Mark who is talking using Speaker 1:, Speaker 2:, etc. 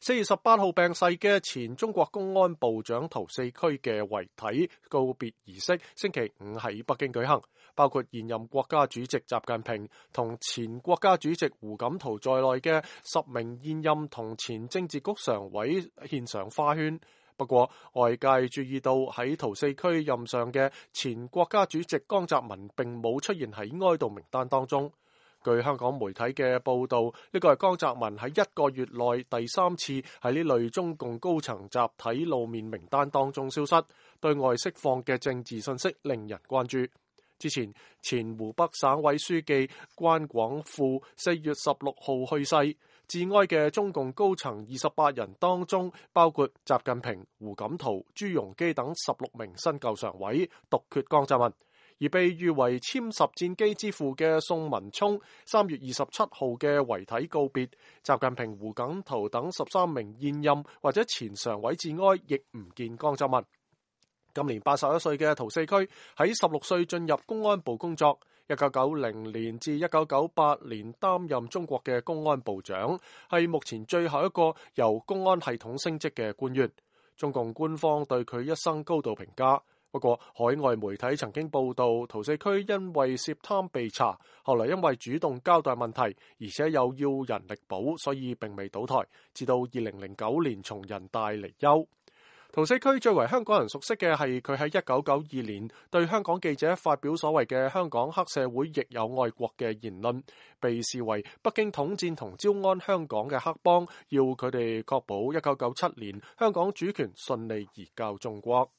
Speaker 1: 4月18號病逝嘅前中國公安部長陶駟駒嘅遺體告別儀式星期五喺北京舉行，包括現任國家主席習近平同前國家主席胡錦濤在內嘅10名現任同前政治局常委獻上花圈。不過，外界注意到喺陶駟駒任上嘅前國家主席江澤民並冇出現喺哀悼名單當中。據香港媒體嘅報道，呢個係江澤民喺1個月內第3次喺呢類中共高層集體露面名單當中消失，對外釋放嘅政治信息令人關注。之前，前湖北省委書記關廣富4月16號去世，致哀嘅中共高層28人當中，包括習近平、胡錦濤、朱鎔基等16名新舊常委，獨缺江澤民。而被譽為殲10戰機之父嘅宋文聰3月27號嘅遺體告別，習近平、胡錦濤等13名現任或者前常委致哀，亦唔見江澤民。今年81歲嘅陶駟駒喺16歲進入公安部工作，1990年至1998年擔任中國嘅公安部長，係目前最後一個由公安系統升職嘅官員。中共官方對佢一生高度評價。不過，海外媒體曾經報道，陶駟駒因為涉貪被查，後來因為主動交代問題，而且又要人力保，所以並未倒台，直到2009年從人大離休。陶駟駒最為香港人熟悉嘅係佢喺1992年對香港記者發表所謂嘅香港黑社會亦有愛國嘅言論，被視為北京統戰同招安香港嘅黑幫，要佢哋確保1997年香港主權順利移交中國。